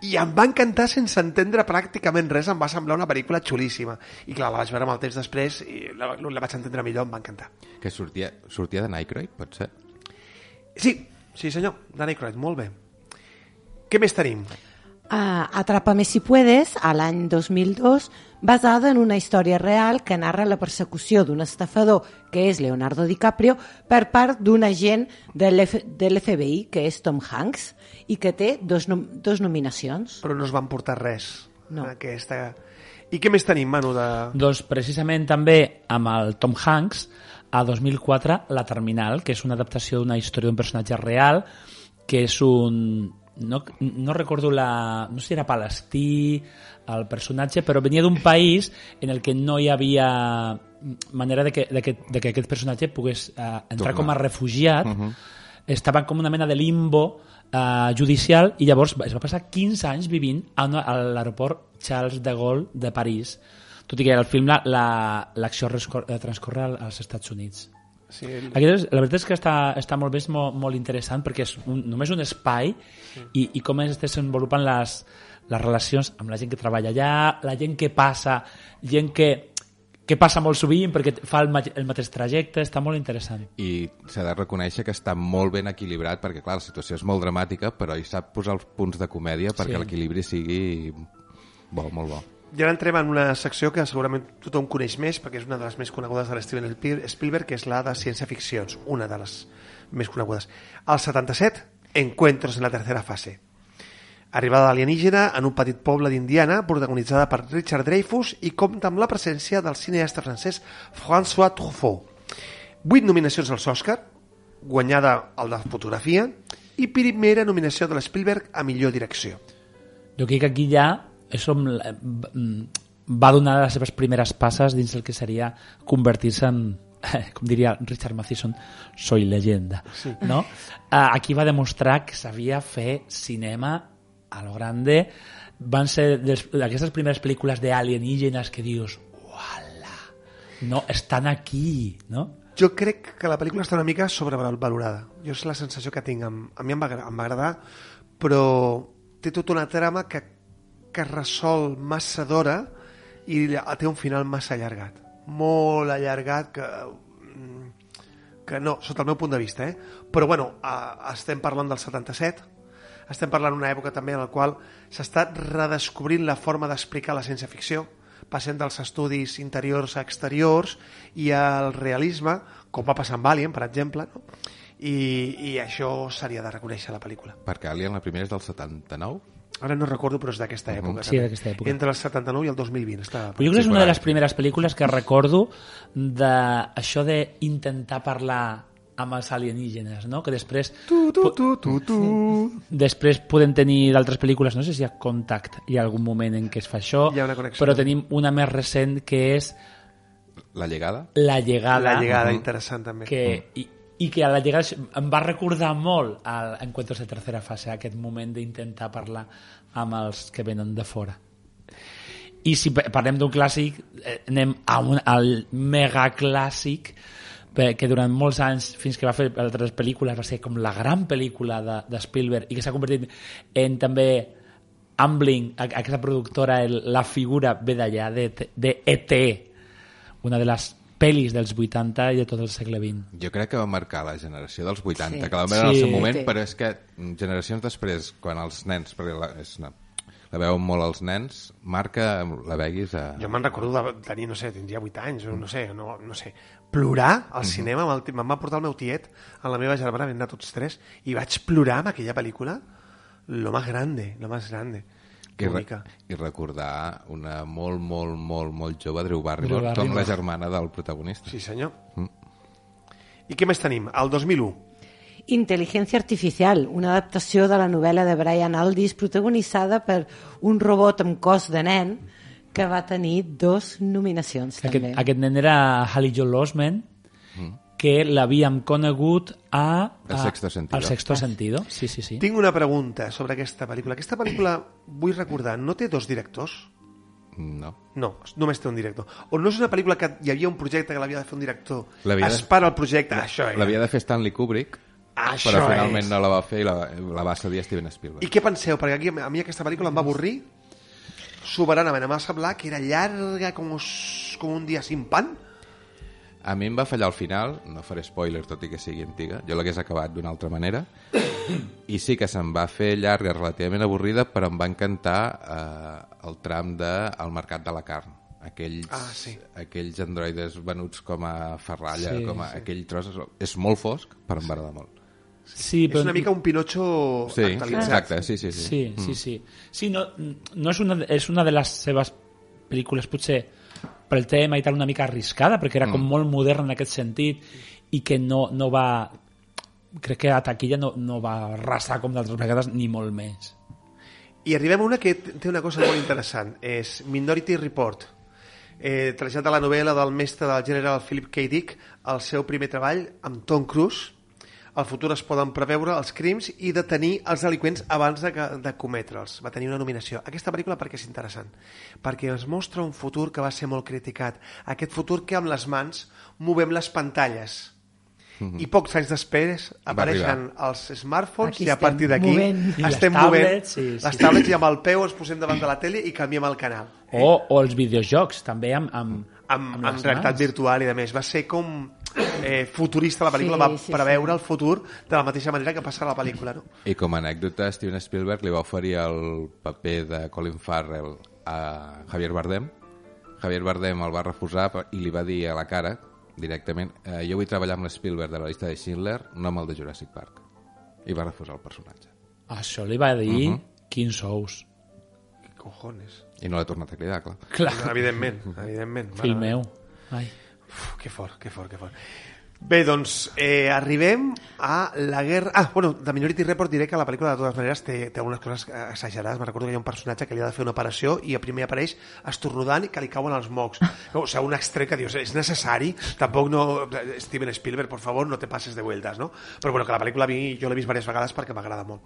i em va encantar sense entendre pràcticament res, em va semblar una pel·lícula xulíssima. I clar, la vaig veure amb el temps després i la vaig entendre millor, em va encantar. Que sortia de Aykroyd, pot ser? Sí senyor, de Aykroyd, molt bé. Què més tenim? Atrápame si puedes, a l'any 2002, basada en una història real que narra la persecució d'un estafador, que és Leonardo DiCaprio, per part d'un agent de l'FBI, que és Tom Hanks, i que té dos nominacions. Però no es van portar res. No. I què més tenim, Manu? Doncs precisament també amb el Tom Hanks, a 2004, La Terminal, que és una adaptació d'una història d'un personatge real, que és un... No recordo no sé si era palestí el personatge, però venia d'un país en el que no hi havia manera de que aquest personatge pogués entrar com a refugiat. Estava com una mena de limbo judicial, i llavors es va passar 15 anys vivint a l'aeroport Charles de Gaulle de París, tot i que al film l'acció transcorre als Estats Units. Sí, La veritat és que està molt bé, és molt interessant, perquè és només un espai i com es desenvolupen les relacions amb la gent que treballa allà, la gent que passa, gent que passa molt sovint perquè fa el mateix trajecte, està molt interessant. I s'ha de reconèixer que està molt ben equilibrat, perquè clar, la situació és molt dramàtica, però hi sap posar els punts de comèdia perquè l'equilibri sigui bo, molt bo. I ara entrem en una secció que segurament tothom coneix més, perquè és una de les més conegudes de l'Steven Spielberg, que és la de ciència-ficcions, una de les més conegudes. Al 77, Encuentros en la tercera fase. Arribada alienígena en un petit poble d'Indiana, protagonitzada per Richard Dreyfuss i compta amb la presència del cineasta francès François Truffaut. 8 nominacions als Òscar, guanyada el de fotografia, i primera nominació de l'Spielberg a millor direcció. Jo crec que aquí ja va donar les seves primeres passes dins el que seria convertir-se en, com diria Richard Matheson, soy leyenda. Sí. No? Aquí va demostrar que sabia fer cinema a lo grande. Van ser aquestes primeres pel·lícules d'alienígenes que dius, uala, no, estan aquí, no? Jo crec que la pel·lícula està una mica sobrevalorada. Jo és la sensació que tinc. A mi em va agradar, però té tota una trama que resol massa d'hora i té un final massa allargat. Molt allargat que no, sota el meu punt de vista. Però bueno, estem parlant del 77, estem parlant d'una època també en la qual s'està redescobrint la forma d'explicar la ciència-ficció, passant dels estudis interiors a exteriors i al realisme, com va passar amb Alien, per exemple, no? I això s'hauria de reconèixer a la pel·lícula. Perquè Alien, la primera és del 79? Ara no recordo, però és d'aquesta època. Sí, d'aquesta època. Entre el 79 i el 2020. Però jo crec que és una de les primeres pel·lícules que recordo d'això d'intentar parlar amb els alienígenes, no? Que després després podem tenir d'altres pel·lícules, no sé si hi ha Contact, hi ha algun moment en què es fa això, però tenim una més recent que és La llegada. La llegada, interessant també. I que a la llegada em va recordar molt a Encuentros de tercera fase, aquest moment d'intentar parlar amb els que venen de fora. I si parlem d'un clàssic, anem al megaclàssic, que durant molts anys, fins que va fer altres pel·lícules, va ser com la gran pel·lícula de Spielberg i que s'ha convertit en també Amblin, aquesta productora, la figura ve d'allà, de E.T., una de les pel·lis dels 80 i de tot el segle XX. Jo crec que va marcar la generació dels 80, que la vam veure en el seu moment, però és que generacions després, quan els nens, perquè la veuen molt els nens, marca, la veguis a... Jo me'n recordo de tenir, no sé, tindria 8 anys, no sé, plorar al cinema, me'n va portar el meu tiet, amb la meva germana, vam anar tots tres, i vaig plorar amb aquella pel·lícula, lo más grande. I recordar una molt jove Drew Barrymore com la germana del protagonista. Sí, senyor. I què més tenim? El 2001. Intel·ligència artificial, una adaptació de la novel·la de Brian Aldiss protagonitzada per un robot amb cos de nen que va tenir 2 nominacions. Aquest nen era Haley Joel Osment, que l'havíem conegut El Sexto Sentido. Sí. Tinc una pregunta sobre aquesta pel·lícula. Aquesta pel·lícula, vull recordar, no té 2 directors? No, només té un director. O no és una pel·lícula que hi havia un projecte que l'havia de fer un director, es para el projecte, l'havia de fer Stanley Kubrick, però finalment no la va fer i la va cedir a Steven Spielberg. I què penseu? Perquè aquí, a mi aquesta pel·lícula em va avorrir soberanament. Em va semblar que era llarga com un dia sin pan. A mi em va fallar al final, no faré spoiler tot i que sigui antiga, jo l'hagués acabat d'una altra manera, i sí que se'm va fer llarga, relativament avorrida, però em va encantar el tram del mercat de la carn. Aquells androides venuts com a ferralla, aquell tros, és molt fosc, però em va agradar molt. Sí, però... És una mica un Pinocho actualitzat. Exacte, sí. Sí, no és una de les seves pel·lícules, potser pel tema i tal, una mica arriscada, perquè era com molt modern en aquest sentit i que no va... Crec que a taquilla no va arrasar com d'altres vegades, ni molt més. I arribem a una que té una cosa molt interessant, és Minority Report, trasllat de la novel·la del mestre del general Philip K. Dick, el seu primer treball amb Tom Cruise. Al futur es poden preveure els crims i detenir els delinqüents abans de cometre'ls. Va tenir una nominació. Aquesta pel·lícula perquè és interessant, perquè ens mostra un futur que va ser molt criticat. Aquest futur que amb les mans movem les pantalles. i pocs anys després apareixen els smartphones Aquí i a partir d'aquí estem movent les tablets i amb el peu ens posem davant de la tele i canviem el canal. O els videojocs, també amb realitat virtual i de més. Va ser com futurista la pel·lícula, va preveure el futur de la mateixa manera que passa a la pel·lícula, no? I com a anècdota, Steven Spielberg li va oferir el paper de Colin Farrell a Javier Bardem. Javier Bardem el va refusar i li va dir a la cara directament, jo vull treballar amb l'Spielberg de la llista de Schindler, no amb el de Jurassic Park. I va refusar el personatge. Això li va dir quins sous. Què cojones? I no l'ha tornat a cridar, clar. Evidentment. Fill meu. Ai. Uf, que fort. Bé, doncs arribem a la guerra... de Minority Report diré que la pel·lícula de totes maneres té algunes coses exagerades. Me recordo que hi ha un personatge que li ha de fer una operació i a primer apareix estornudant i que li cauen els mocs. O sigui, un extrem que dius, és necessari? Tampoc no... Steven Spielberg, por favor, no te pases de vueltas, no? Però bueno, que la pel·lícula jo l'he vist diverses vegades perquè m'agrada molt.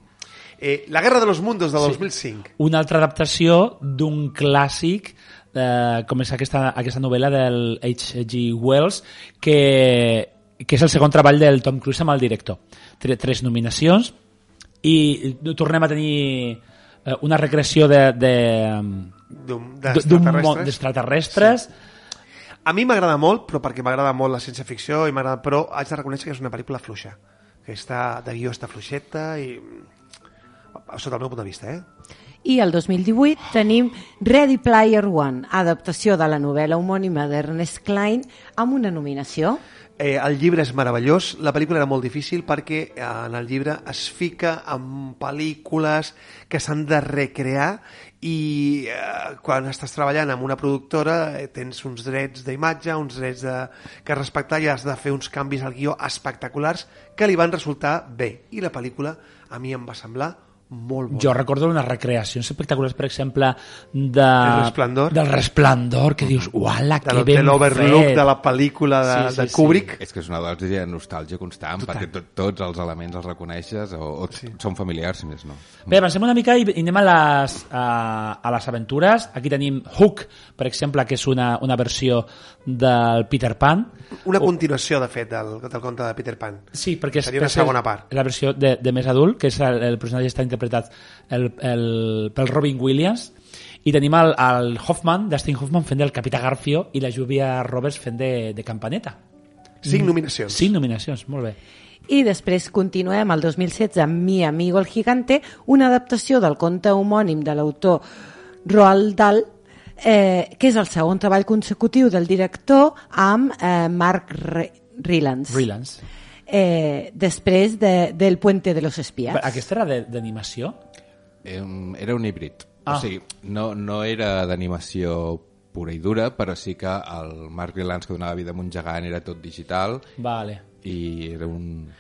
La Guerra de los Mundos, de 2005. Una altra adaptació d'un clàssic com és aquesta novel·la del H.G. Wells que és el segon treball del Tom Cruise amb el director. Té 3 nominacions i tornem a tenir una recreació d'extraterrestres. A mi m'agrada molt, però perquè m'agrada molt la ciència-ficció, però haig de reconèixer que és una pel·lícula fluixa, que de guió està fluixeta i sota el meu punt de vista, I el 2018 tenim Ready Player One, adaptació de la novel·la homònima d'Ernest Cline, amb una nominació. El llibre és meravellós, la pel·lícula era molt difícil perquè en el llibre es fica amb pel·lícules que s'han de recrear i quan estàs treballant amb una productora tens uns drets d'imatge, uns drets que respectar i has de fer uns canvis al guió espectaculars que li van resultar bé. I la pel·lícula a mi em va semblar molt bona. Jo recordo unes recreacions espectaculars, per exemple, del Resplendor, que dius, uala, que ben fet. De l'Overlook de la pel·lícula de Kubrick. És que és una dosi de nostàlgia constant, perquè tots els elements els reconeixes o són familiars, si més no. Bé, avancem una mica i anem a les aventures. Aquí tenim Hook, per exemple, que és una versió del Peter Pan. Una continuació, de fet, del conte de Peter Pan. Sí, perquè seria una segona part. La versió de més adult, que és el personatge està interpretat pel Robin Williams, i tenim el Hoffman, Dustin Hoffman, fent del Capità Garfio i la Julia Roberts fent de Campaneta. 5 nominacions. 5 nominacions, molt bé. I després continuem el 2016 amb Mi amigo el gigante, una adaptació del conte homònim de l'autor Roald Dahl, que és el segon treball consecutiu del director amb Mark Rylance. Després del Puente de los Espías. Aquesta era d'animació? Era un híbrid. O sigui, no era d'animació pura i dura, però sí que el Mark Rylance, que donava vida a un gegant, era tot digital. Vale. I era un...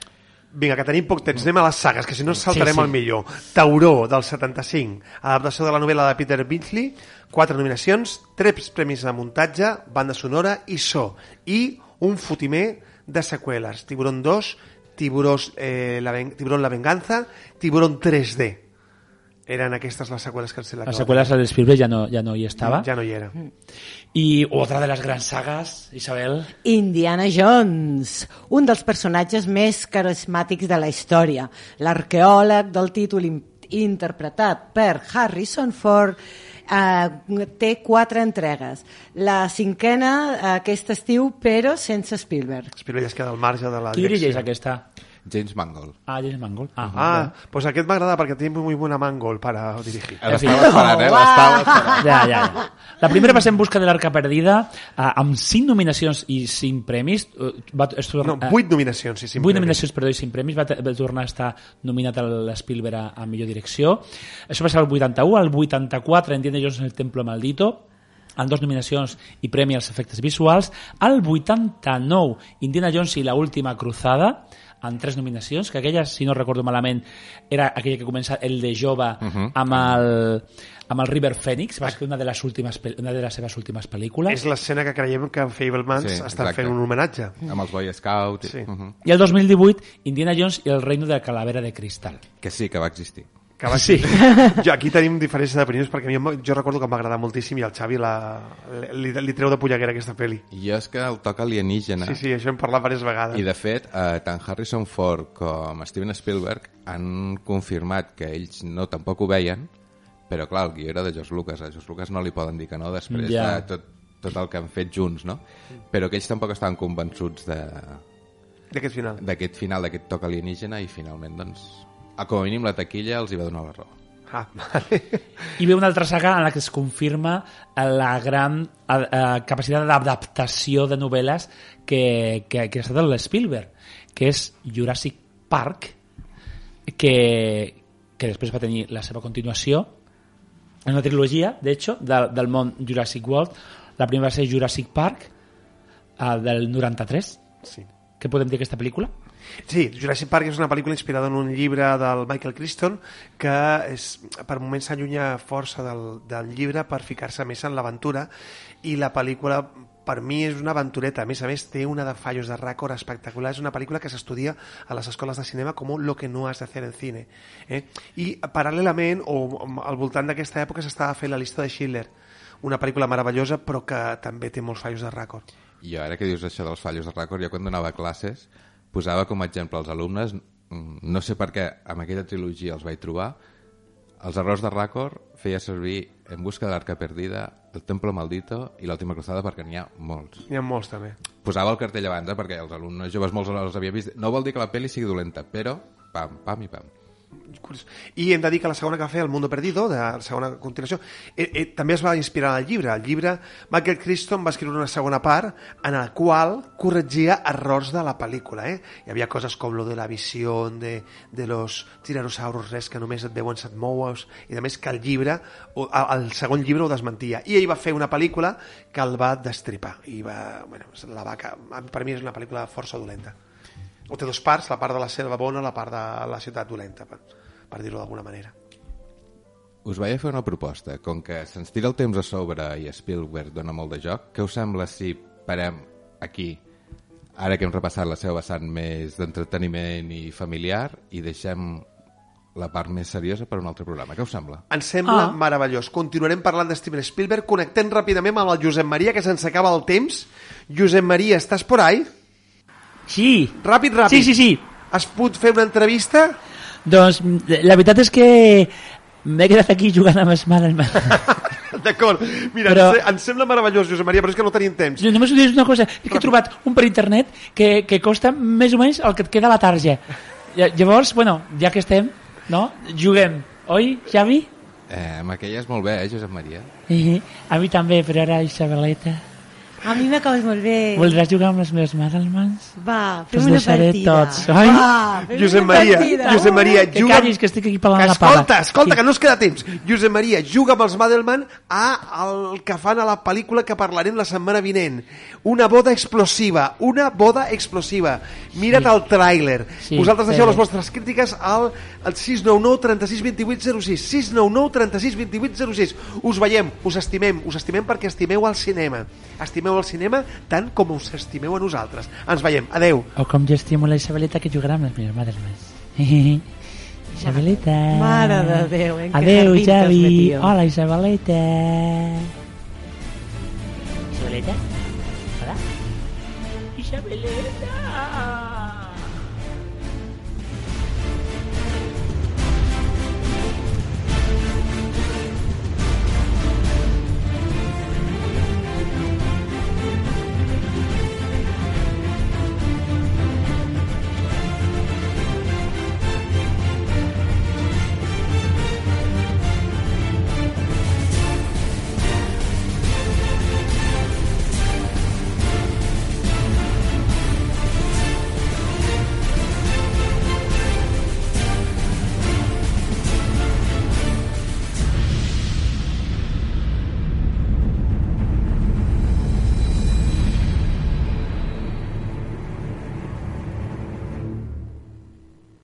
Vinga, que tenim poc temps. Anem a les sagues, que si no saltarem el millor. Tauró, del 75. Adaptació de la novel·la de Peter Benchley. 4 nominacions, 3 premis de muntatge, banda sonora i so. I un fotimer de seqüeles. Tiburón 2, Tiburón la venganza, Tiburón 3D. Eren aquestes les seqüeles que les seqüeles de Spielberg ja no hi estava. Ja no hi era. I otra de les grans sagues, Isabel. Indiana Jones, un dels personatges més carismàtics de la història. L'arqueòleg del títol interpretat per Harrison Ford té 4 entregues. La 5ª aquest estiu, però sense Spielberg. Spielberg es queda al marge de la Qui dirigeix aquesta? James Mangold. James Mangold. Pues aquest m'agrada perquè té muy buena Mangold para dirigir. L'estava esperant, Ja. La primera va ser En busca de l'Arca perdida, amb 5 nominacions i 5 premis. 8 nominacions i 5 premis. 8 nominacions, perdó, i 5 premis. Va tornar a estar nominat a l'Spielberg a millor direcció. Això va ser el 81, el 84 Indiana Jones en el Templo Maldito, amb 2 nominacions i premi als efectes visuals. El 89 Indiana Jones i la última cruzada, amb 3 nominacions, que aquella, si no recordo malament, era aquella que comença el de jove amb el River Phoenix, va ser una de les seves últimes pel·lícules. És l'escena que creiem que Fablemans està fent un homenatge. Amb els Boy Scouts. Sí. I el 2018, Indiana Jones i el reino de la calavera de cristal. Que sí, que va existir. Que va Sí. Jo, aquí tenim diferències d'opinions perquè a mi jo recordo que em va agradar moltíssim i al Xavi li treu de polleguera aquesta pel·li. I és que el toc alienígena... Sí, això hem parlat diverses vegades. I de fet, tant Harrison Ford com Steven Spielberg han confirmat que ells no tampoc ho veien, però clar, el guió era de George Lucas. A George Lucas no li poden dir que no després de tot el que han fet junts, no? Però que ells tampoc estaven convençuts d'aquest final. D'aquest toc alienígena, i finalment, doncs, com a mínim la taquilla els hi va donar la raó. Vale. I ve una altra saga en la que es confirma la gran capacitat d'adaptació de novel·les que ha estat l'Spielberg, que és Jurassic Park, que després va tenir la seva continuació en una trilogia, de hecho, del món Jurassic World. La primera va ser Jurassic Park, del 93. Sí. Què podem dir d'aquesta pel·lícula? Sí, Jurassic Park és una pel·lícula inspirada en un llibre del Michael Crichton que per moments s'allunya força del llibre per ficar-se més en l'aventura, i la pel·lícula per mi és una aventureta. A més, té una de fallos de rècord espectacular. És una pel·lícula que s'estudia a les escoles de cinema com lo que no has de hacer en cine. I paral·lelament, o al voltant d'aquesta època, s'estava fent la llista de Schindler, una pel·lícula meravellosa però que també té molts fallos de rècord. I ara que dius això dels fallos de rècord, jo quan donava classes posava com a exemple als alumnes, no sé per què amb aquella trilogia els vaig trobar, els errors de rècord feia servir En busca de l'arca perdida, El templo maldito i L'última cruzada, perquè n'hi ha molts. N'hi ha molts també. Posava el cartell abans, perquè els alumnes joves molts els havia vist. No vol dir que la pel·li sigui dolenta, però pam, pam i pam. I hem de dir que la segona que va fer, El mundo perdido, de la segona continuació, també es va inspirar en el llibre. El llibre, Michael Crichton va escriure una segona part en la qual corregia errors de la pel·lícula. Hi havia coses com lo de la visió de los tiranosaurus res que només et veuen si et moues, i a més que el llibre, el segon llibre ho desmentia. I ell va fer una pel·lícula que el va destripar. I per mi és una pel·lícula força dolenta. O té dues parts, la part de la selva bona, la part de la ciutat dolenta, per dir-ho d'alguna manera. Us vaig a fer una proposta. Com que se'ns tira el temps a sobre i Spielberg dona molt de joc, què us sembla si parem aquí, ara que hem repassat la seva vessant més d'entreteniment i familiar, i deixem la part més seriosa per un altre programa? Què us sembla? Ens sembla meravellós. Continuarem parlant de Steven Spielberg, connectem ràpidament amb el Josep Maria, que se'ns acaba el temps. Josep Maria, estàs por ahí? Sí. Ràpid. Sí. Has pogut fer una entrevista? Doncs la veritat és que m'he quedat aquí jugant amb Spider-Man. D'acord. Mira, però... ens sembla meravellós, Josep Maria, però és que no tenim temps. Jo només us diré una cosa. És que he trobat un per internet que costa més o menys el que et queda a la tarja. Llavors, bueno, ja que estem, no? Juguem. Oi, Xavi? Amb aquella és molt bé, Josep Maria? A mi també, però ara Isabeleta... A mi m'acabes molt bé. Voldràs jugar amb les meves Madelmans? Va, fem una partida. Tots. Ai? Va, Josep Maria, que callis, que estic aquí parlant la pava. Escolta, que no es queda temps. Josep Maria, juga amb els Madelman al que fan a la pel·lícula que parlarem la setmana vinent. Una boda explosiva. Mira't el tràiler. Vosaltres deixeu les vostres crítiques al 699 36 28 06. 699 36 28 06. Us veiem, us estimem perquè estimeu el cinema. Estimeu el cinema tant com us estimeu a nosaltres. Ens veiem, adeu. O com jo estimo la Isabeleta, que jugarà amb les meves Madelmans. Isabeleta. Mare de Déu, adeu, Javi. Hola, Isabeleta. Isabeleta? Hola? Isabeleta.